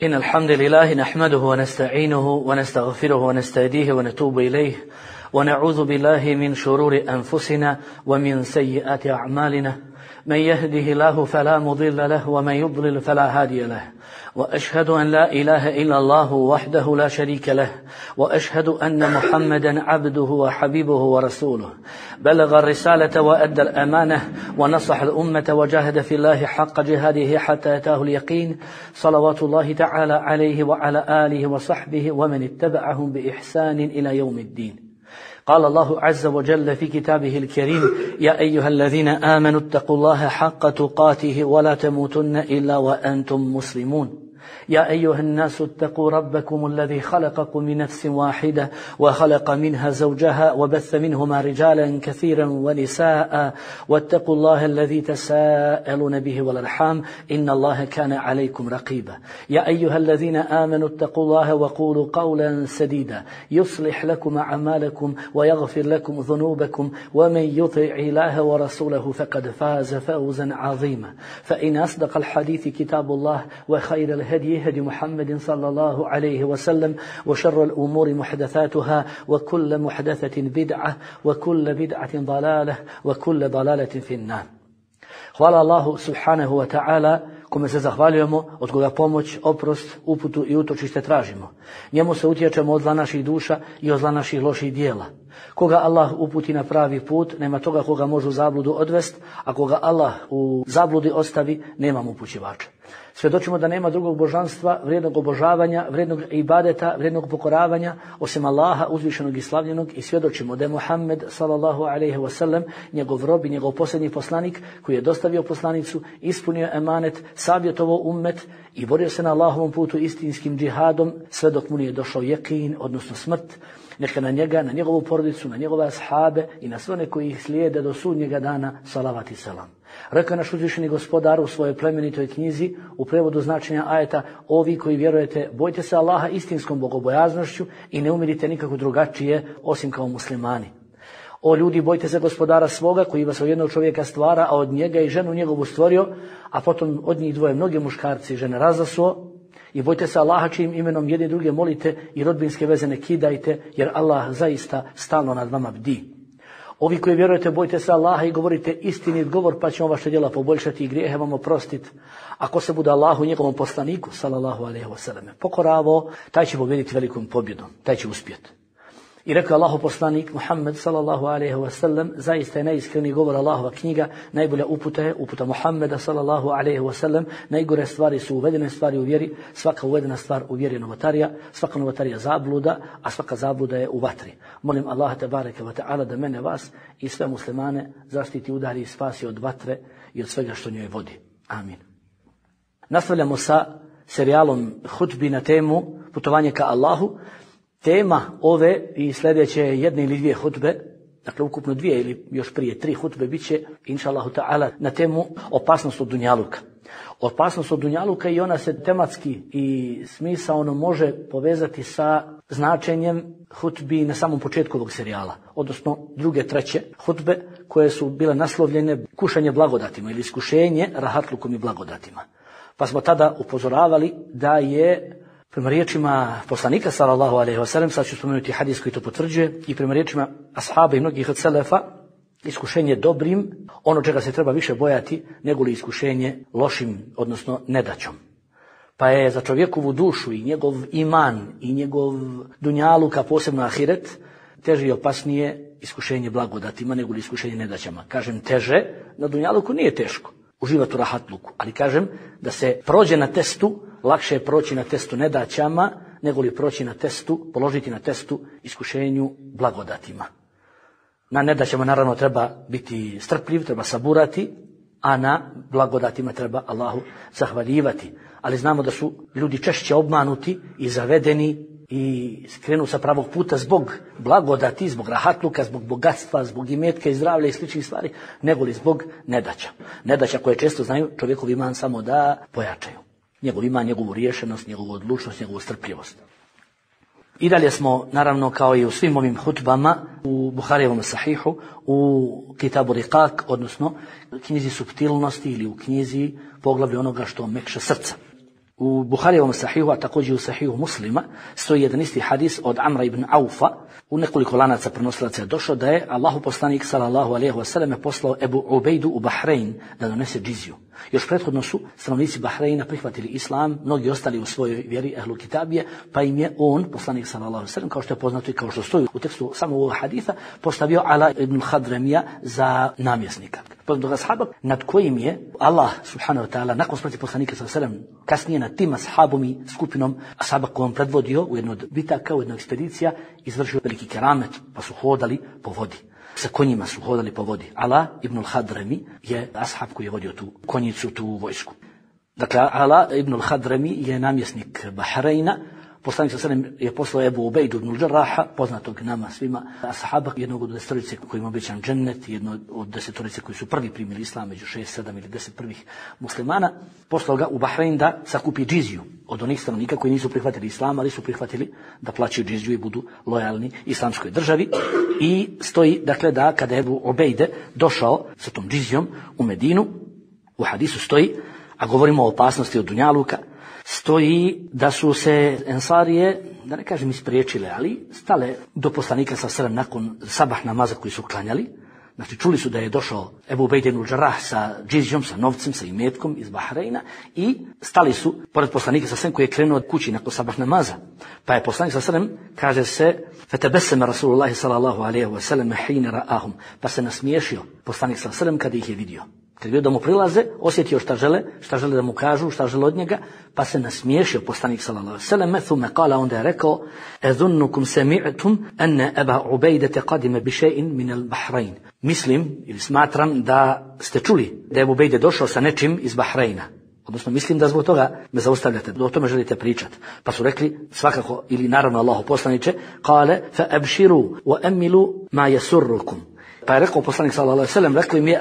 إن الحمد لله نحمده ونستعينه ونستغفره ونستهديه ونتوب إليه ونعوذ بالله من شرور أنفسنا ومن سيئات أعمالنا من يهده الله فلا مضل له ومن يضلل فلا هادي له وأشهد أن لا إله إلا الله وحده لا شريك له وأشهد أن محمدا عبده وحبيبه ورسوله بلغ الرسالة وأدى الأمانة ونصح الأمة وجاهد في الله حق جهاده حتى أتاه اليقين صلوات الله تعالى عليه وعلى آله وصحبه ومن اتبعهم بإحسان إلى يوم الدين. قال الله عز وجل في كتابه الكريم: يا أيها الذين آمنوا اتقوا الله حق تقاته ولا تموتن إلا وأنتم مسلمون. يا أيها الناس اتقوا ربكم الذي خلقكم من نفس واحدة وخلق منها زوجها وبث منهما رجالا كثيرا ونساء واتقوا الله الذي تساءلون به والأرحام إن الله كان عليكم رقيبا. يا أيها الذين آمنوا اتقوا الله وقولوا قولا سديدا يصلح لكم أعمالكم ويغفر لكم ذنوبكم ومن يطع الله ورسوله فقد فاز فوزا عظيما. فإن أصدق الحديث كتاب الله وخير الهدي هدي محمد صلى الله عليه وسلم وشر الأمور محدثاتها وكل محدثة بدعة وكل بدعة ضلالة وكل ضلالة في النار. Hvala Allahu subhanahu wa ta'ala, kome se zahvaljujemo, od koga pomoć, oprost, uputu i utočište tražimo. Njemu se utječemo od zla naših duša i od zla naših loših dijela. Koga Allah uputi na pravi put, nema toga koga može u zabludu odvest, a koga Allah u zabludi ostavi, nema mu upućivača. Svjedočimo da nema drugog božanstva, vrijednog obožavanja, vrijednog ibadeta, vrijednog pokoravanja, osim Allaha uzvišenog i slavljenog, i svjedočimo da je Muhammed sallallahu alejhi ve sellem njegov rob i njegov posljednji poslanik koji je dostavio poslanicu, ispunio emanet, savjetovao ummet i borio se na Allahovom putu istinskim džihadom sve dok mu nije došao jekin, odnosno smrt. Neka na njega, na njegovu porodicu, na njegove ashabe i na sve one koji ih slijede do sudnjega dana, salavat i selam. Rekao naš uzvišeni gospodar u svojoj plemenitoj knjizi u prevodu značenja ajeta: ovi koji vjerujete, bojte se Allaha istinskom bogobojaznošću i ne umirite nikako drugačije osim kao muslimani. O ljudi, bojte se gospodara svoga koji vas od jednog čovjeka stvara, a od njega i ženu njegovu stvorio, a potom od njih dvoje mnoge muškarci i žene razasuo. I bojte se Allaha čijim imenom jedni druge molite i rodbinske veze ne kidajte, jer Allah zaista stalno nad vama bdi. Ovi koji vjerujete, bojte se Allaha i govorite istinit govor, pa ćemo vaše djela poboljšati i grijehe vam oprostiti. Ako se bude Allahu i njegovom poslaniku sallallahu alejhi ve sellem pokoravo, taj će pobijediti velikom pobjedom, taj će uspjeti. I rekao Allahu poslanik Muhammed sallallahu alejhi ve sellem: zaista je najiskreniji govor Allahova knjiga, najbolja uputa je uputa Muhammeda sallallahu alejhi ve sellem. Najgore stvari su uvedene stvari u vjeri, svaka uvedena stvar u vjeri je novotarija, svaka novotarija zabluda, a svaka zabluda je u vatri. Molim Allaha tebareke ve taala da mene, vas i sve muslimane zaštiti, udari i spasi od vatre i od svega što njoj vodi. Amin. Nastavljamo sa serijalom hutbi na temu putovanje ka Allahu. Tema ove i sljedeće jedne ili dvije hutbe, dakle ukupno dvije ili još prije 3 hutbe, bit će inšallahu ta'ala na temu opasnost od dunjaluka. Opasnost od dunjaluka, i ona se tematski i smisaono može povezati sa značenjem hutbi na samom početku ovog serijala, odnosno druge, treće hutbe koje su bile naslovljene kušanje blagodatima ili iskušenje rahatlukom i blagodatima. Pa smo tada upozoravali da je prema riječima poslanika sallallahu alejhi ve sellem, sad ću spomenuti hadis koji to potvrđuje, i prema riječima ashaba i mnogih od selefa, iskušenje dobrim ono čega se treba više bojati nego li iskušenje lošim, odnosno nedaćom. Pa je za čovjekovu dušu i njegov iman i njegov dunjaluk, a posebno ahiret, teže i opasnije iskušenje blagodatima nego li iskušenje nedaćama. Kažem teže, na dunjaluku nije teško uživati u rahatluku, ali kažem da se prođe na testu, lakše je proći na testu nedaćama nego li proći na testu, položiti na testu iskušenju blagodatima. Na nedaćama naravno treba biti strpljiv, treba saburati, a na blagodatima treba Allahu zahvaljivati. Ali znamo da su ljudi češće obmanuti i zavedeni i skrenu sa pravog puta zbog blagodati, zbog rahatluka, zbog bogatstva, zbog imetka i zdravlja i sličnih stvari, nego li zbog nedaća. Nedaća koje često znaju čovjekov iman samo da pojačaju. Njegov iman, njegovu riješenost, njegovu odlučnost, njegovu strpljivost. I dalje smo, naravno, kao i u svim ovim hutbama, u Buharijevom sahihu, u Kitabu Riqaq, odnosno knjizi suptilnosti ili u knjizi poglavlju onoga što mekša srca. U Buharijevom sahihu, a također u sahihu Muslima, stoji jedan isti hadis od Amra ibn Aufa, u nekoliko lanaca prenosilaca je došao da je Allahu poslanik sallallahu alejhi ve selleme poslao Ebu Ubejdu u Bahrein da donese džiziju. Još prethodno su stanovnici Bahreina prihvatili islam, mnogi ostali u svojoj vjeri ehlu kitabije, pa im je on, poslanik sallallahu alejhi ve sellem, kao što je poznato i kao što stoji u tekstu samog ovog hadisa, postavio Ala ibn Hadramija za namjesnika. Poznatog ashaba nad kojim je Allah subhanahu wa ta'ala nakon smrti poslanika sallallahu alejhi ve sellem kasnije nad tim ashabom i skupinom ashaba kojom predvodio u jednoj od bitaka, u jednoj ekspedicija, izvršio veliki keramet, pa su hodali po vodi. Sa konjima su hodali po vodi. Ala ibn al-Hadrami je ashab koji je vodio tu konjicu, tu vojsku. Dakle, Ala ibn al-Hadrami je namjesnik Bahreina. Poslanik sallallahu alejhi ve sellem je poslao Ebu Ubejdu ibn al-Jarraha, poznatog nama svima, ashaba, jednog od 10 koji ima obećan džennet, jedno od 10 koji su prvi primili islam među 6, 7 ili 10 prvih muslimana. Poslao ga u Bahrein da sakupi džiziju od onih stanovnika koji nisu prihvatili islam, ali su prihvatili da plaćaju džiziju i budu lojalni islamskoj državi. I stoji, dakle, da kada je Ebu Ubejde došao sa tom džizijom u Medinu, u hadisu stoji, a govorimo o opasnosti od dunjaluka, stoji da su se ensarije, da ne kažem ispriječile, ali stale do poslanika sallallahu alejhi ve sellem nakon sabah namaza koji su klanjali. Znači, čuli su da je došao Ebu Ubejde ibn al-Jarrah sa džizijom, sa novcem, sa imetkom iz Bahreina i stali su pored poslanika sallallahu alejhi ve sellem koji je krenuo od kući nakon sabah namaza. Pa je poslanik sallallahu alejhi ve sellem, kaže se, fatabassama Rasulullah sallallahu alejhi ve sellem hina ra'ahum, pa se nasmiješio poslanik sallallahu alejhi ve sellem kada ih je vidio. Kad je vidio da mu prilaze, osjetio šta žele da mu kažu, šta žele od njega, pa se nasmiješio poslanik sallallahu alejhi ve sellem, thumma qala, onda je rekao: "Adhunnukum sami'tum anna Aba Ubejde qadima bi shay'in min al-Bahrain." Mislim ili smatram da ste čuli da je Ebu Ubejde došao sa nečim iz Bahreina. Odnosno, mislim da zbog toga me zaustavljate, da o tome želite pričati. Pa su rekli, svakako, ili naravno Allahu poslaniče, kale, fa abširu wa amilu ma yasurrukum. Pa je rekao poslanik sallallahu alejhi ve sellem, rekao im je,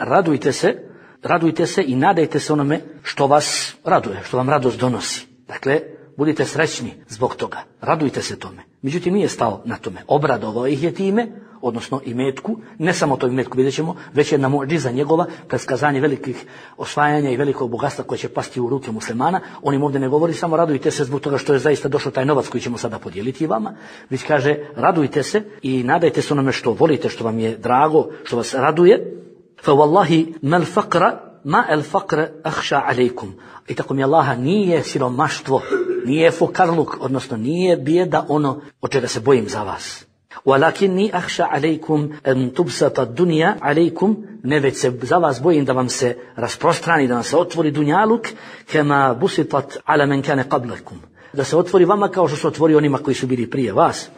radujte se i nadajte se onome što vas raduje, što vam radost donosi. Dakle, budite srećni zbog toga, radujte se tome. Međutim, nije stao na tome. Obradovao ih je time, odnosno imetku, ne samo to imetku, vidjet ćemo, već jedna muđiza njegova, predskazanje velikih osvajanja i velikog bogatstva koje će pasti u ruke muslimana. On im ovdje ne govori samo radujte se zbog toga što je zaista došao taj novac koji ćemo sada podijeliti vama, već kaže radujte se i nadajte se onome što volite, što vam je drago, što vas raduje. Fa wallahi mal faqra ma al faqr akhsha alaykum. I tako mi Allaha nije siromaštvo, nije fukarluk, odnosno nije bijeda ono od čega se bojim za vas. Walakinni akhsha alaykum an tubsata ad-dunya alaykum, ne već se za vas bojim da vam se rasprostrani, da vam se otvori dunjaluk kama busitat ala man kana qablakum, da se otvori vama kao što se otvori onima koji su bili prije vas.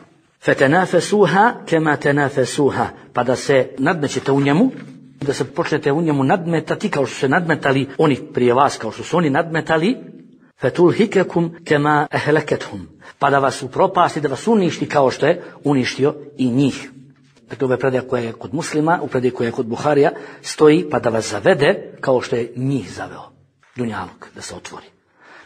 Fatanafasuha kama tanafasuha, pa da se nadmećete u njemu, da se počnete u njemu nadmetati kao što se nadmetali oni prije vas, kao što su oni nadmetali. Fatulhikakum kama ahlakathum, pa da vas upropasti, da vas uništi kao što je uništio i njih. Dakle, ova predaja koja je kod Muslima, u predaji koja je kod Buharija, stoji pa da vas zavede kao što je njih zaveo. Dunjaluk, da se otvori.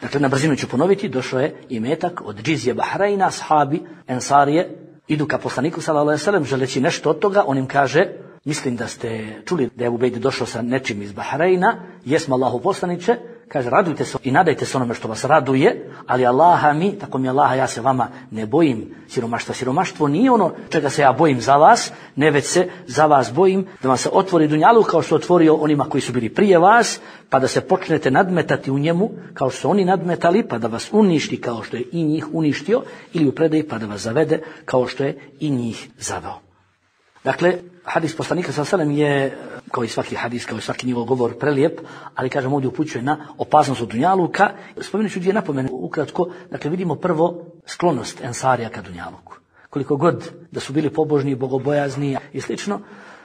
Dakle, na brzinu ću ponoviti, došao je imetak od džizije Bahreina, ashabi, ensarije, idu ka poslaniku sallallahu alejhi ve sellem želeći nešto od toga, on im kaže: mislim da ste čuli da je Ebu Ubejde došao sa nečim iz Bahreina, jesmo Allahu poslaniče, kaže radujte se i nadajte se onome što vas raduje, ali Allaha mi, tako mi Allaha, ja se vama ne bojim siromaštva. Siromaštvo nije ono čega se ja bojim za vas, ne već se za vas bojim da vam se otvori dunjaluk kao što otvorio onima koji su bili prije vas, pa da se počnete nadmetati u njemu kao što su oni nadmetali, pa da vas uništi kao što je i njih uništio, ili u predaji pa da vas zavede kao što je i njih zaveo. Dakle, hadis poslanika sallallahu alejhi ve sellem je, kao i svaki hadis, kao i svaki njegov govor, prelijep, ali kažem ovdje upućuje na opasnost od dunjaluka. Spomenut ću dvije napomene ukratko. Dakle, vidimo prvo sklonost ensarija ka dunjaluku. Koliko god da su bili pobožni, bogobojazni i slično,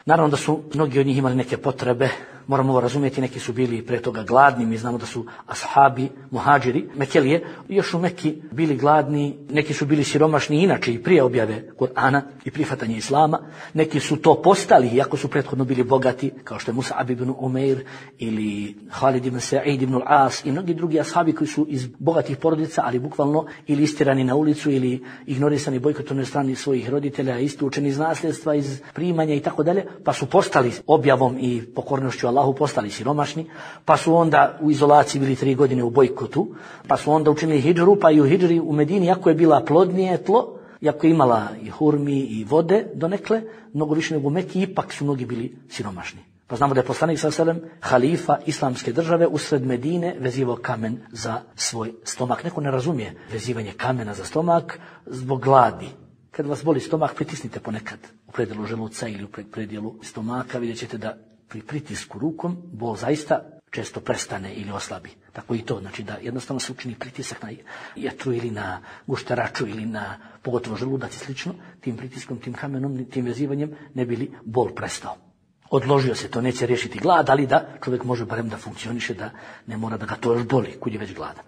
naravno da su mnogi od njih imali neke potrebe, moramo ovo razumjeti, neki su bili pre toga gladni, mi znamo da su ashabi, muhađiri, Mekelije, još u Meki bili gladni, neki su bili siromašni inače i prije objave Kur'ana i prihvatanja islama, neki su to postali iako su prethodno bili bogati, kao što je Mus'ab ibn Umeir ili Halid ibn Sa'id ibn al-As i mnogi drugi ashabi koji su iz bogatih porodica, ali bukvalno ili istirani na ulicu ili ignorisani, bojkotovani strani svojih roditelja, isključeni iz nasljedstva, iz primanja i tako dalje, pa su postali objavom i pokornošću Allah Allahu postali siromašni, pa su onda u izolaciji bili 3 godine u bojkotu, pa su onda učinili hidžru, pa i u hidžri u Medini, iako je bila plodnije tlo, iako je imala i hurmi i vode donekle, mnogo više nego u Meki, ipak su mnogi bili siromašni. Pa znamo da je poslanik s.a.v. halifa islamske države usred Medine vezivao kamen za svoj stomak. Neko ne razumije vezivanje kamena za stomak zbog gladi. Kad vas boli stomak, pritisnite ponekad u predjelu želuca ili u predjelu stomaka, vidjet ćete da pri pritisku rukom bol zaista često prestane ili oslabi. Tako i to, znači da jednostavno se učini pritisak na jetru ili na gušteraču ili na pogotovo želudac i slično, tim pritiskom, tim kamenom, tim vezivanjem ne bi li bol prestao. Odložio se, to neće riješiti glad, ali da čovjek može barem da funkcioniše, da ne mora da ga to još boli, kud je već gladan.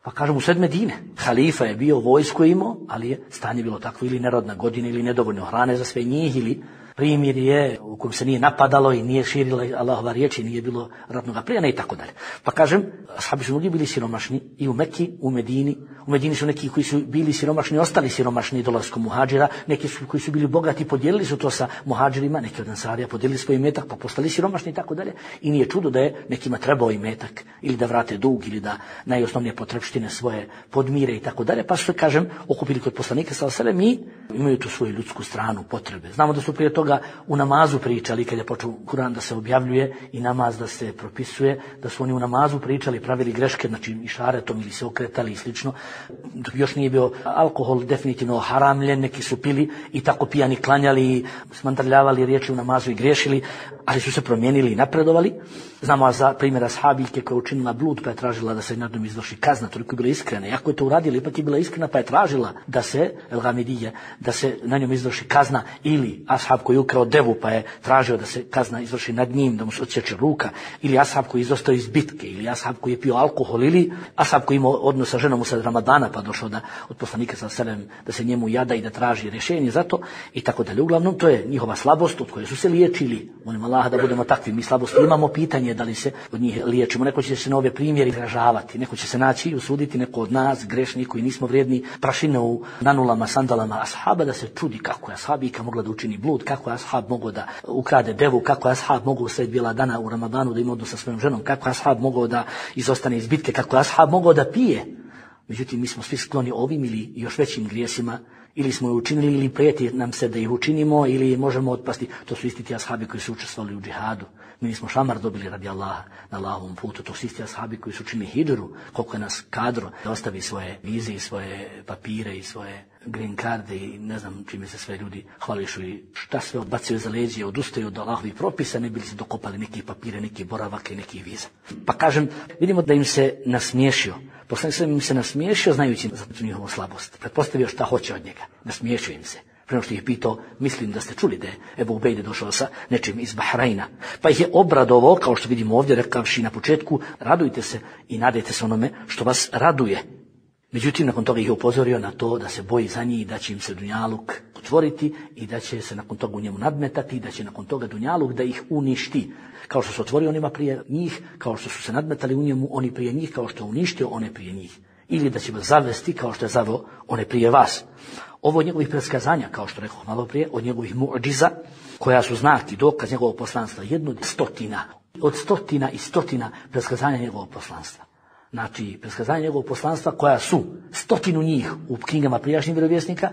Pa kažem, u sred Medine, halifa je bio, vojsko imao, ali je stanje bilo takvo, ili nerodna godina, ili nedovoljno hrane za sve njih, ili primjer je u kojem se nije napadalo i nije širila Allahova riječ i nije bilo ratnoga plijena i tako dalje. Pa kažem, ashabi su mnogi bili siromašni i u Meki, u Medini. U Medini su neki koji su bili siromašni, ostali siromašni dolaskom muhadžira, neki su koji su bili bogati, podijelili su to sa muhadžirima, neki od ansarija podijelili svoj imetak, pa postali siromašni i tako dalje. I nije čudo da je nekima trebao imetak ili da vrate dug ili da najosnovnije potrebštine svoje podmire i tako dalje. Pa su se, kažem, okupili kod poslanika s.a.v. i imaju tu svoju ljudsku stranu, potrebe. Znamo da su prije toga u namazu pričali, kad je počeo Kur'an da se objavljuje i namaz da se propisuje, da su oni u namazu pričali, pravili greške, znači i šaretom ili se okretali i slično. Još nije bio alkohol definitivno haramljen, neki su pili i tako pijani klanjali, smandrljavali riječi u namazu i griješili, ali su se promijenili i napredovali. Znamo za primjera sahabijke koja je učinila blud pa je tražila da se nad njom izvrši kazna, toliko je bila iskrena. Iako je to uradila, ipak je bila iskrena pa je tražila da se, da se na njom izvrši kazna, ili ashab koji je ukrao devu pa je tražio da se kazna izvrši nad njim, da mu se odsječe ruka, ili ashab koji je izostao iz bitke, ili ashab koji je pio alkohol, ili ashab koji imao odnos sa ženom usred Ramadana pa došao od poslanika s.a.v. da se njemu jada i da traži rješenje za to i tako dalje. Uglavnom, to je njihova slabost od koje su se liječili. Molim Allaha da budemo takvi. Mi slabosti imamo, pitanje da li se od njih liječimo. Neko će se na ove primjeri izražavati, neko će se naći i usuditi, neko od nas, grešni koji nismo vrijedni prašine u nanulama, sandalama ashaba, da se čudi kako je ashabika mogla da učini blud, kako je ashab mogao da ukrade devu, kako je ashab mogao sred bijela dana u Ramadanu da ima odnos sa svojom ženom, kako je ashab mogao da izostane iz bitke, kako je ashab mogao da pije. Međutim, mi smo svi skloni ovim ili još većim grijesima, ili smo ih učinili ili prijeti nam se da ih učinimo ili možemo otpasti. To su isti ti ashabi koji su učestvovali u džihadu. Mi nismo šamar dobili radi Allaha na Allahovom putu. To su isti ashabi koji su učinili hidžru, koliko je nas kadro da ostavi svoje vize i svoje papire i svoje green carde i ne znam čime se sve ljudi hvališu i šta sve odbacuju za leđe, odustaju od Allahovih propisa, ne bili se dokopali nekih papire, nekih boravaka i nekih viza. Pa kažem, vidimo da im se nasmiješio. Poslanik im se nasmiješio znajući za njihovu slabost. Pretpostavio šta hoće od njega. Nasmiješio im se. Prema što ih pitao, mislim da ste čuli da je Ebu Ubejde došao sa nečim iz Bahrajna. Pa ih je obradovao, kao što vidimo ovdje, rekavši na početku, radujte se i nadajte se onome što vas raduje. Međutim, nakon toga ih je upozorio na to da se boji za njih, da će im se dunjaluk otvoriti i da će se nakon toga u njemu nadmetati i da će nakon toga dunjaluk da ih uništi. Kao što se otvorio onima prije njih, kao što su se nadmetali u njemu oni prije njih, kao što je uništio one prije njih. Ili da će vas zavesti kao što je zaveo one prije vas. Ovo od njegovih predskazanja, kao što rekao malo prije, od njegovih mu'džiza, koja su znak i dokaz njegovog poslanstva, od stotina i stotina predskazanja njegovog poslanstva. Znači, predskazanja njegovog poslanstva koja su 100 njih u knjigama prijašnjih vjerovjesnika,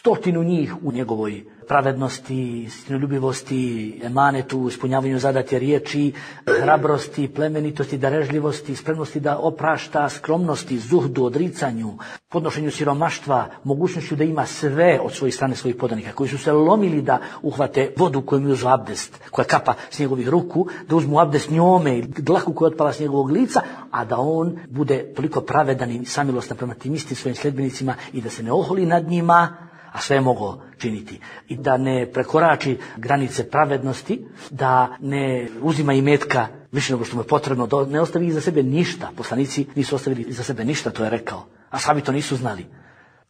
100 njih u njegovoj pravednosti, istinoljubivosti, emanetu, ispunjavanju zadate riječi, hrabrosti, plemenitosti, darežljivosti, spremnosti da oprašta, skromnosti, zuhdu, odricanju, podnošenju siromaštva, mogućnošću da ima sve od svojih strane svojih podanika, koji su se lomili da uhvate vodu koju mi uzmu abdest, koja kapa s njegovih ruku, da uzmu abdest njome i dlaku koja otpala s njegovog lica, a da on bude toliko pravedan i samilostan prema tim istim svojim sljedbenicima i da se ne oholi nad njima, a sve je mogao činiti. I da ne prekorači granice pravednosti, da ne uzima imetka više nego što mu je potrebno, da ne ostavi iza sebe ništa. Poslanici nisu ostavili iza sebe ništa, to je rekao. Ashabi to nisu znali.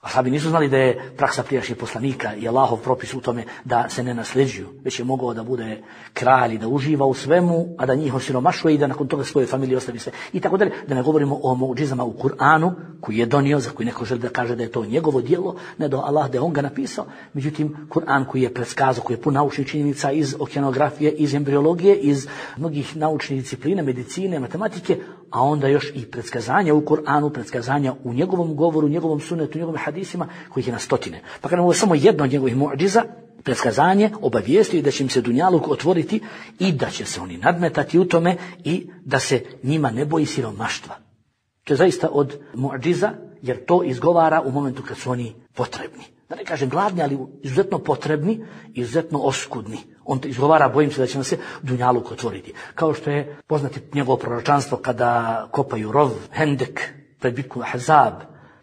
Ashabi nisu znali da je praksa prijašnjih poslanika i Allahov propis u tome da se ne nasljeđuju, već je mogao da bude kralj i da uživa u svemu, a da njih osiromašuje i da nakon toga svoje familije ostavi sve. I tako dalje, da ne govorimo o muđizama u Kur'anu, koji je donio, za koji neko želi da kaže da je to njegovo djelo, ne do Allah da je on ga napisao. Međutim, Kur'an koji je predskazao, koji je pun naučnih činjenica iz okeanografije, iz embriologije, iz mnogih naučnih disciplina, medicine, matematike, a onda još i predskazanja u Kur'anu, predskazanja u njegovom govoru, njegovom sunnetu, njegovim hadisima, kojih je na stotine. Pa kada ovo je samo jedno od njegovih muđiza, predskazanje obavijestio da će im se dunjaluk otvoriti i da će se oni nadmetati u tome i da se njima ne boji siromaštva. To je zaista od muđiza, jer to izgovara u momentu kad su oni potrebni. Da ne kažem gladni, ali izuzetno potrebni, izuzetno oskudni. On izgovara, bojim se da će nam se dunjaluk otvoriti. Kao što je poznati njegovo proročanstvo kada kopaju rov, Hendek, pred bitku Ahzab,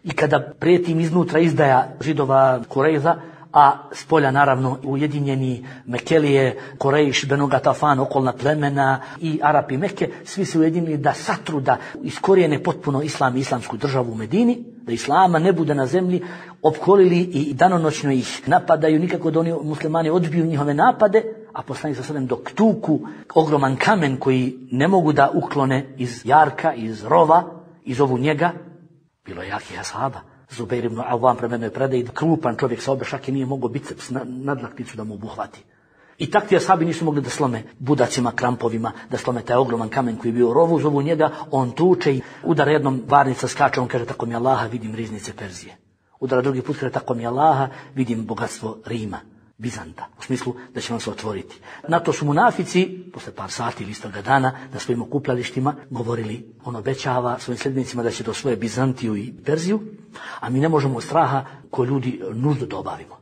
i kada prijeti im iznutra izdaja Židova Kurejza, a s polja naravno ujedinjeni Mekelije, Korejš, Benu Gatafan, okolna plemena i Arapi Mekke, svi se ujedinili da satru, da iskorijene potpuno islam i islamsku državu u Medini, da islama ne bude na zemlji, opkolili i danonoćno ih napadaju, nikako da oni muslimani odbiju njihove napade, a poslanik sa dok tuku ogroman kamen koji ne mogu da uklone iz jarka, iz rova, iz ovu njega, bilo je jakih ashaba. Zubeir ibn Awam prema jednoj predaji, krupan čovjek sa obe šake nije mogao biceps nadlakticu da mu obuhvati. I tak ti ashabi nisu mogli da slome budacima, krampovima, da slome taj ogroman kamen koji je bio u rovu, zovu njega, on tuče i udara jednom, varnica skače, on kaže tako mi Allaha vidim riznice Perzije. Udara drugi put, kaže tako mi Allaha vidim bogatstvo Rima, Bizanta, u smislu da će vam se otvoriti. Na to su munafici, posle par sati ili istoga dana, na svojim okupljalištima govorili, on obećava svojim sljedbenicima da će do svoje Bizantiju i Perziju, a mi ne možemo od straha ko ljudi nuždu da obavimo.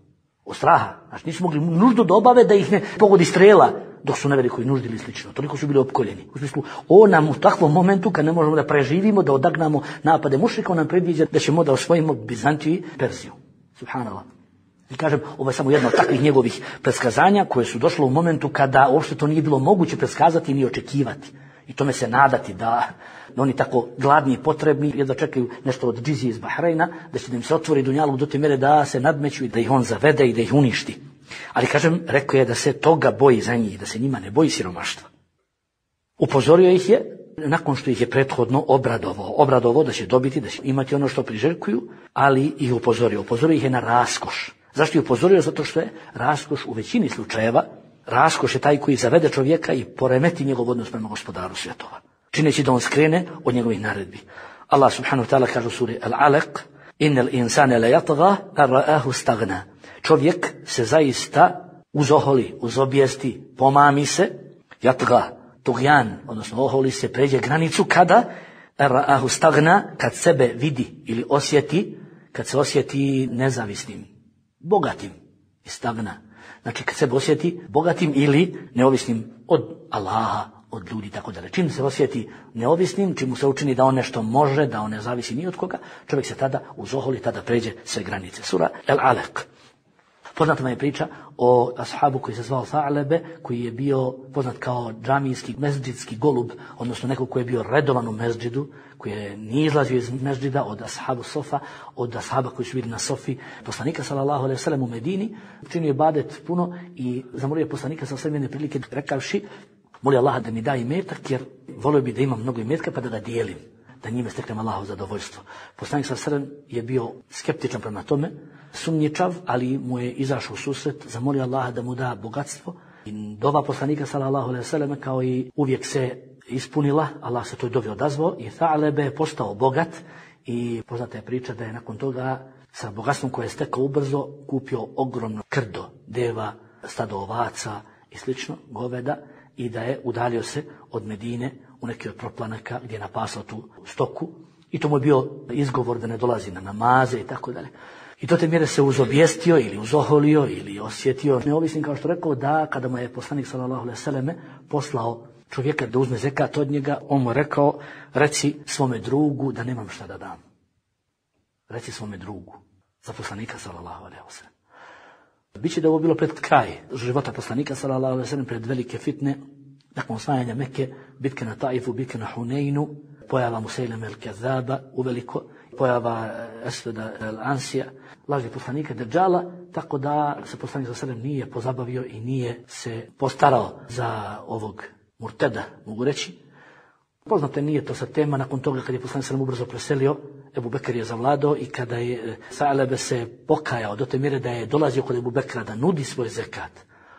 Od straha, znači nisu mogli nuždu da obave da ih ne pogodi strela dok su na velikoj nuždi ili slično. Toliko su bili opkoljeni. U smislu, on nam u takvom momentu kad ne možemo da preživimo, da odagnamo napade mušrika, on nam predviđa da ćemo da osvojimo Bizantiju i Perziju. Subhanallah. I kažem, ovo je samo jedno od takvih njegovih predskazanja koje su došlo u momentu kada uopšte to nije bilo moguće predskazati ni očekivati. I tome se nadati da oni tako gladni i potrebni jedva čekaju nešto od džizije iz Bahrajna, da će da im se otvori dunjaluk do te mere da se nadmeću i da ih on zavede i da ih uništi. Ali kažem, rekao je da se toga boji za njih, da se njima ne boji siromaštva. Upozorio ih je, nakon što ih je prethodno obradovao da će dobiti, da će imati ono što priželjkuju, ali ih upozorio ih je na raskoš. Zašto je upozorio? Zato što je raskoš u većini slučajeva, raskoš je taj koji zavede čovjeka i poremeti njegov odnos prema gospodaru svjetova, čineći da on skrene od njegovih naredbi. Allah subhanahu wa ta'ala kaže u suri Al-Alaq, innal insane la yatgha an ra'ahu staghna. Čovjek se zaista uzoholi, uzobijesti, pomami se, yatgha, tugjan, odnosno oholi se, pređe granicu kada ra'ahu staghna, kad sebe vidi ili osjeti, kad se osjeti nezavisnim, bogatim, istagna. Znači kad se osjeti bogatim ili neovisnim od Allaha, od ljudi, tako dalje. Čim se osjeti neovisnim, čim mu se učini da on nešto može, da on ne zavisi ni od koga, čovjek se tada uzoholi, tada pređe sve granice. Sura Al-Alaq. Poznata vam je priča o ashabu koji se zvao Tha'lebe, koji je bio poznat kao džamijski, mezdžidski golub, odnosno neko koji je bio redovan u mezdžidu, koji je nije izlazio iz mezdžida od ashabu Sofa, od ashaba koji su bili na Sofi, poslanika sallallahu alejhi ve sellem u Medini, činio je ibadet puno i zamolio poslanika sa jedne prilike rekavši, moli Allaha da mi da imetak, jer volio bi da imam mnogo imetka pa da ga dijelim, da njime steknem Allahovo zadovoljstvo. Poslanik sallallahu alejhi ve sellem je bio skeptičan prema tome, sumnjičav, ali mu je izašao u susret, zamolio Allaha da mu da bogatstvo. I dova poslanika sallallahu alejhi ve sellem kao i uvijek se ispunila, Allah se toj dovi odazvao i Tha'lebe je postao bogat i poznata je priča da je nakon toga sa bogatstvom koje je stekao ubrzo kupio ogromno krdo, deva, stado ovaca i slično, goveda, i da je udalio se od Medine u neki od proplanaka gdje je napasao tu stoku i to mu je bio izgovor da ne dolazi na namaze i tako dalje. I to te mjere se uzobjestio ili uzoholio ili osjetio neovisnim, kao što rekao, da kada mu je poslanik sallallahu alejhi ve selleme poslao čovjeka da uzme zekat od njega, on mu rekao, reci svome drugu da nemam šta da dam. Reci svome drugu, za poslanika sallallahu alejhi ve sellem. Biće da ovo bilo pred kraj života poslanika sallallahu alejhi ve sellem, pred velike fitne, nakon osvajanja Mekke, bitke na Taifu, bitke na Huneinu, pojava Musailame el-Kazaba uveliko, pojava Esveda al-Ansija, lažnih poslanika Dejjala, tako da se poslanik sallallahu alejhi ve sellem nije pozabavio i nije se postarao za ovog murteda, mogu reći. Poznato je, nije to sad tema. Nakon toga kad je poslanik sallallahu ubrzo preselio, Ebu Bekr je zavladao i kada je Sa'lebe se pokajao do te mjere da je dolazio kod Ebu Bekra da nudi svoj zekat,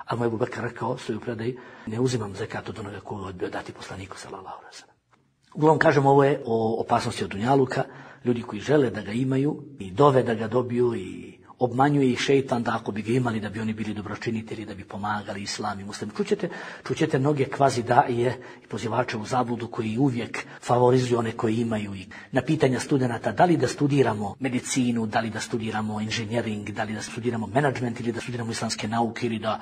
ali mu Ebu Bekr rekao svoju predaji: ne uzimam zekat od onoga koga odbio dati poslaniku sallallahu alejhi ve sellem. Uglavnom kažem, ovo je o opasnosti od dunjaluka, ljudi koji žele da ga imaju i dove da ga dobiju i obmanjuje ih šejtan da ako bi ga imali da bi oni bili dobročinitelji, da bi pomagali islam i muslim. Čućete mnoge kvazi daije i pozivače u zabludu koji uvijek favorizuju one koji imaju. I na pitanja studenata da li da studiramo medicinu, da li da studiramo inženjering, da li da studiramo menadžment ili da studiramo islamske nauke ili da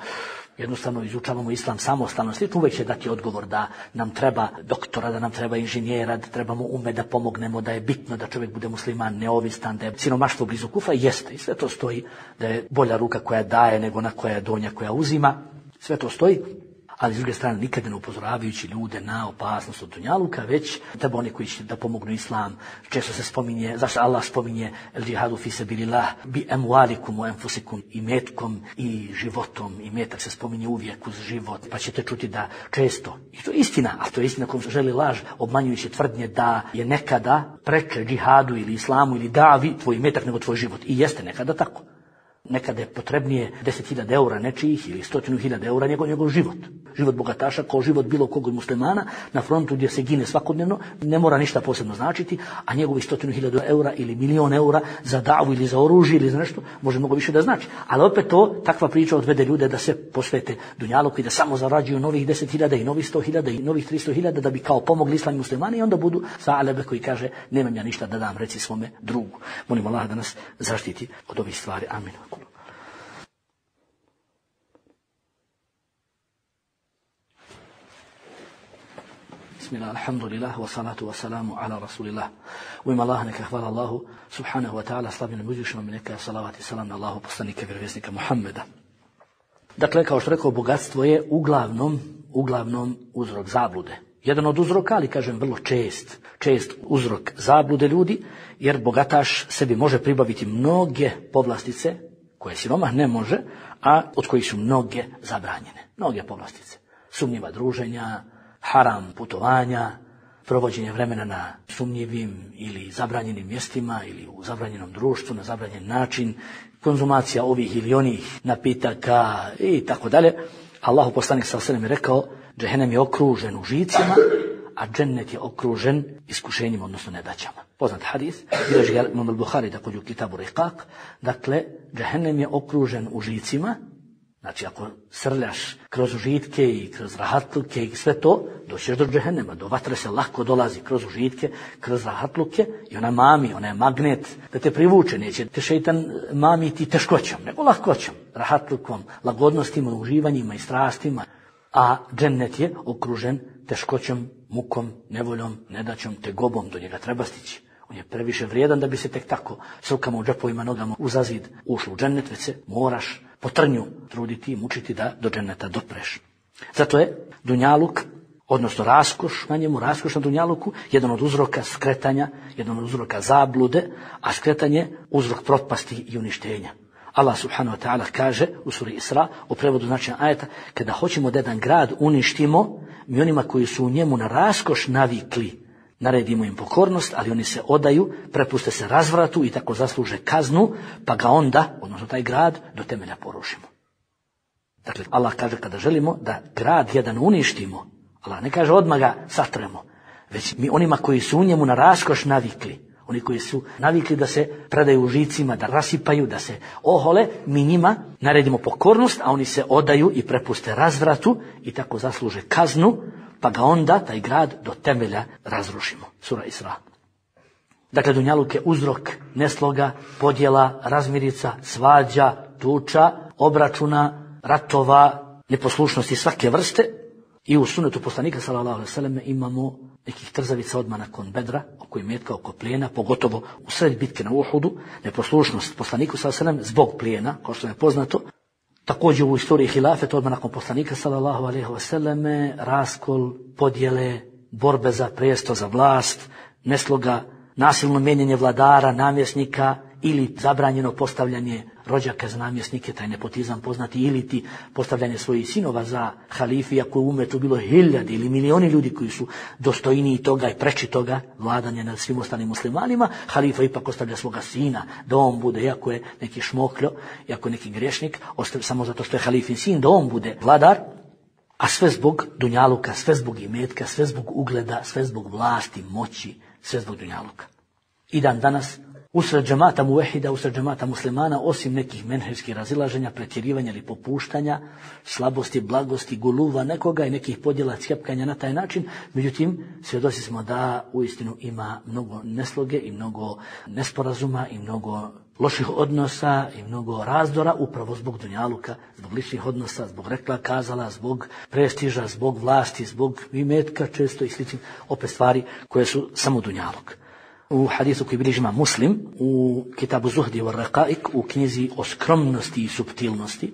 jednostavno izučavamo islam samostalno, uvijek će dati odgovor da nam treba doktora, da nam treba inženjera, da trebamo da pomognemo, da je bitno da čovjek bude musliman, neovisan, da je siromaštvo blizu kufra. Jeste, i sve to stoji, da je bolja ruka koja daje nego ona koja je donja koja uzima. Sve to stoji, ali s druge strane nikada ne upozoravajući ljude na opasnost od dunjaluka, već treba oni koji će da pomognu islam. Često se spominje, zašto Allah spominje el džihadu fi sabilillah bi emwalikum wa anfusikum, i metkom i životom. I metak se spominje uvijek uz život, pa ćete čuti da često, i to je istina, a to je istina kom se želi laž, obmanjujući tvrdnje da je nekada preče džihadu ili islamu ili davi tvoj metak nego tvoj život. I jeste nekada tako. Nekada je potrebnije 10.000 eura nečijih ili 100.000 eura njegov život. Život bogataša kao život bilo kog muslimana na frontu gdje se gine svakodnevno ne mora ništa posebno značiti, a njegovi 100.000 eura ili milion eura za davu ili za oružje ili za nešto može mnogo više da znači. Ali opet takva priča odvede ljude da se posvete dunjaluku i da samo zarađuju novih 10.000 i novih 100.000 i novih 300.000 da bi kao pomogli islam i muslimani, i onda budu Sa'lebe koji kaže: nemam ja ništa da dam, reci svome drugu. Molim Allah da nas zaštiti od ovih stvari. Amin. Bismillah, alhamdulillah, wa salatu wa salamu ala rasulillah. U ime Allaha neka hvala Allahu subhanahu wa ta'ala, slavljenom uzvišenom, neka salavat i salam na Allahu poslanika vjerovjesnika Muhammeda. Dakle, kao što rekao, bogatstvo je uglavnom uzrok zablude. Jedan od uzroka, ali kažem vrlo čest uzrok zablude ljudi, jer bogataš sebi može pribaviti mnoge povlastice koje siromah ne može, a od kojih su mnoge zabranjene. Mnoge povlastice. Sumnjiva druženja, haram putovanja, provođenje vremena na sumnjivim ili zabranjenim mjestima ili u zabranjenom društvu na zabranjen način, konzumacija ovih ili onih napitaka i tako dalje. Allahu poslanik sallallahu alejhi ve sellem je rekao: džehennem je okružen užicima, a džennet je okružen iskušenjima, odnosno nedaćama. Poznat hadis, bilježi ga Imam al-Buhari također u Kitabu Riqaq. Dakle, džehennem je okružen užicima. Znači, ako srljaš kroz užitke i kroz rahatluke i sve to, doćeš do džehennema, do vatre se lako dolazi kroz užitke, kroz rahatluke, i ona mami, ona je magnet da te privuče, neće te šeitan mamiti teškoćom, nego lahkoćom, rahatlukom, lagodnostima, uživanjima i strastima, a džennet je okružen teškoćom, mukom, nevoljom, nedaćom, tegobom, do njega treba stići. On je previše vrijedan da bi se tek tako s rukama u džepovima, nogama uza zid ušlo u džennet, već se moraš po trnju truditi i mučiti da do dženneta dopreš. Zato je dunjaluk, odnosno raskoš na njemu, raskoš na dunjaluku, jedan od uzroka skretanja, jedan od uzroka zablude, a skretanje uzrok propasti i uništenja. Allah subhanahu wa ta'ala kaže u suri Isra, u prevodu značenja ajeta: kada hoćemo da jedan grad uništimo, mi onima koji su u njemu na raskoš navikli, naredimo im pokornost, ali oni se odaju, prepuste se razvratu i tako zasluže kaznu, pa ga onda, odnosno taj grad, do temelja porušimo. Dakle, Allah kaže kada želimo da grad jedan uništimo, Allah ne kaže odmah ga satremo, već mi onima koji su u njemu na raskoš navikli, oni koji su navikli da se predaju užicima, da rasipaju, da se ohole, mi njima naredimo pokornost, a oni se odaju i prepuste razvratu i tako zasluže kaznu, pa ga onda taj grad do temelja razrušimo. Sura Isra. Dakle, dunjaluk je uzrok nesloga, podjela, razmirica, svađa, tuča, obračuna, ratova, neposlušnosti svake vrste. I u sunetu poslanika sallallahu alejhi ve selleme imamo nekih trzavica odmah nakon Bedra, oko imetka, oko plijena, pogotovo u sred bitke na Uhudu, neposlušnost poslaniku sallallahu alejhi ve sellem zbog plijena, kao što je poznato. Također u istoriji hilafeta odmah nakon poslanika sallallahu alejhi ve selleme raskol, podjele, borbe za prijesto, za vlast, nesloga nasilno mijenjanje vladara, namjesnika ili zabranjeno postavljanje rođaka za namjesnike, taj nepotizam poznati, ili ti postavljanje svojih sinova za halifi, ako u umetu bilo 1000 ili milioni ljudi koji su dostojniji toga i preči toga vladanja nad svim ostalim muslimanima, halifa ipak ostavlja svoga sina da on bude, iako je neki šmokljo, iako je neki grešnik, ostavlja samo zato što je halifin sin, da on bude vladar, a sve zbog dunjaluka, sve zbog imetka, sve zbog ugleda, sve zbog vlasti, moći, sve zbog dunjaluka. I dan danas usred džemata muvehida, usred džemata muslimana, osim nekih menhevskih razilaženja, pretjerivanja ili popuštanja, slabosti, blagosti, guluva nekoga i nekih podjela, cjepkanja na taj način, međutim, svjedoci smo da uistinu ima mnogo nesloge i mnogo nesporazuma i mnogo loših odnosa i mnogo razdora upravo zbog dunjaluka, zbog ličnih odnosa, zbog rekla kazala, zbog prestiža, zbog vlasti, zbog imetka često i sličnih opet stvari koje su samo dunjaluk. U hadisu koji bilježi Imam Muslim, u Kitabu Zuhdi wa Raqaik, u knjizi o skromnosti i suptilnosti,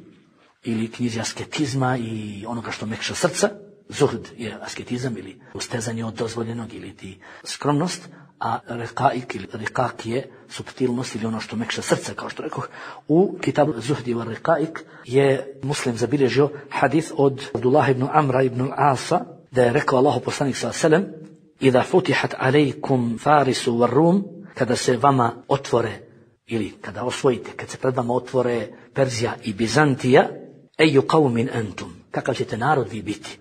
ili knjizi asketizma i onoga što mekša srca, zuhd je asketizam ili ustezanje od dozvoljenog ili ti skromnost, a Raqaik ili Riqaq je suptilnost ili ono što mekša srca, kao što rekoh. U Kitabu Zuhdi wa Raqaik je Muslim zabilježio hadis od Abdullah ibn Amra ibn al-Asa, da je rekao Allahu poslanik sallallahu alejhi ve sellem: "Iza futihat alejkum Farisu wa Rum", kada se vama otvore ili kada osvojite, kad se pred vama otvore Perzija i Bizantija, eju qaumin antum, kakav ćete narod vi biti?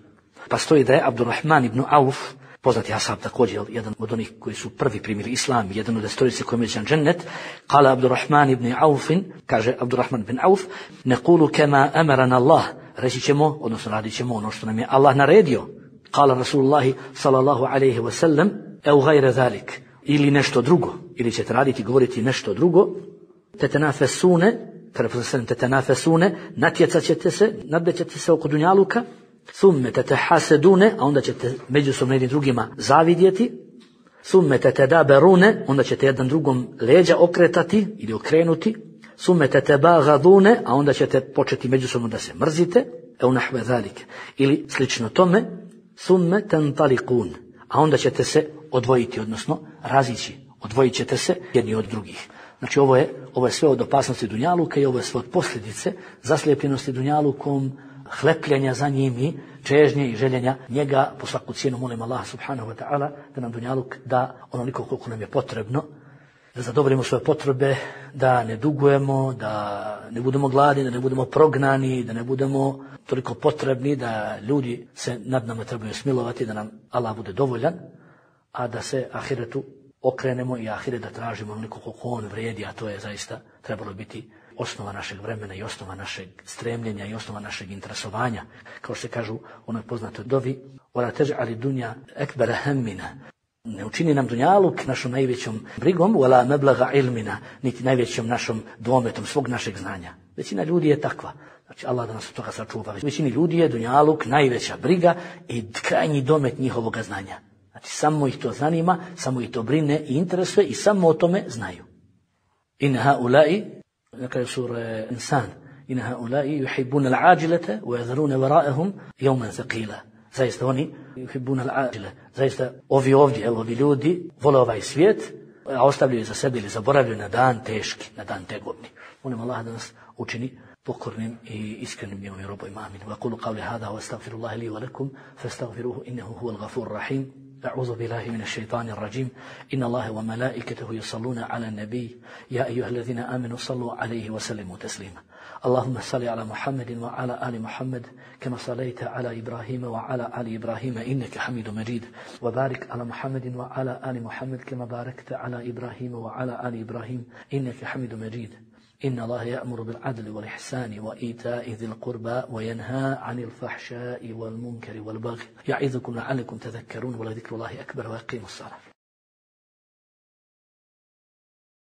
Pa stoji da je Abdurrahman ibn Auf, poznati ashab također, jedan od onih koji su prvi primili islam, jedan od destorice koji međan džennet, kala Abdurrahman ibn Aufin, kaže Abdurrahman ibn Auf, nequlu kema amarana Allah, reći ćemo, odnosno radit ćemo ono što nam je Allah naredio. Kala Rasulullahi sallallahu alaihi wa sallam, eu gajre zalik, ili nešto drugo, ili ćete raditi, govoriti nešto drugo, tetenafesune, natjecat ćete se, nadmećete se oko dunjaluka, thumme tetehasedune, a onda ćete međusobno jednim drugima zavidjeti, thumme tetedaberune, onda ćete jedan drugom leđa okretati ili okrenuti, thumme tetebagadune, a onda ćete početi međusobno da se mrzite, eu nahve zalike, ili slično tome, thumme tantaliqun, a onda ćete se odvojiti, odnosno razići, odvojit ćete se jedni od drugih. Znači ovo je sve od opasnosti dunjaluka i ovo je sve od posljedice zaslijepljenosti dunjalukom, hlepljenja za njim i čežnje i željenja njega. Po svaku cijenu molim Allah subhanahu wa ta'ala da nam dunjaluk da onoliko koliko nam je potrebno, da zadovoljimo svoje potrebe, da ne dugujemo, da ne budemo gladni, da ne budemo prognani, da ne budemo toliko potrebni da ljudi se nad nama trebaju smilovati, da nam Allah bude dovoljan, a da se ahiretu okrenemo i ahiret da tražimo onoliko koliko on vrijedi, a to je zaista trebalo biti osnova našeg vremena i osnova našeg stremljenja i osnova našeg interesovanja. Kao što se kažu u onoj poznatoj dovi, وَلَا تَجْعَلِ دُنْيَا أَكْبَرَ هَمِّنَا, ne učini nam dunjaluk našom najvećom brigom, وَلَا مَبْلَغَ عِلْمِنَا, niti najvećom našom dometom svog našeg znanja. Većina ljudi je takva. Znači Allah da nas od toga sačuva. Većini ljudi je dunjaluk najveća briga i krajnji domet njihovoga znanja. Znači samo ih to zanima, samo ih to brine i interesuje i samo o tome znaju. In haulai, na kraju sura Insan, in haulai yuhibbuna al-ajilata wa yadharuna wara'ahum yawman thaqila. Zaista oni yuhibbuna al-ajila. Zaista ovi ljudi vole ovaj svijet, a ostavljaju za sebe ili zaboravljaju na dan teški, na dan tegovni. Molim Allah da nas učini pokornim i iskrenim njegovim robovima. Amin. Wa qulu qawli hada wa astaghfirullaha li wa lakum fastaghfiruhu innahu huwal ghafurur rahim. أعوذ بالله من الشيطان الرجيم إن الله وملائكته يصلون على النبي يا أيها الذين آمنوا صلوا عليه وسلموا تسليما اللهم صل على محمد وعلى آل محمد كما صليت على إبراهيم وعلى آل إبراهيم إنك حميد مجيد وبارك على محمد وعلى آل محمد كما باركت على إبراهيم وعلى آل إبراهيم إنك حميد مجيد إن الله يأمر بالعدل والإحسان وإيتاء ذي القربى وينهى عن الفحشاء والمنكر والبغي يعظكم لعلكم تذكرون ولذكر الله أكبر ويقيم الصلاة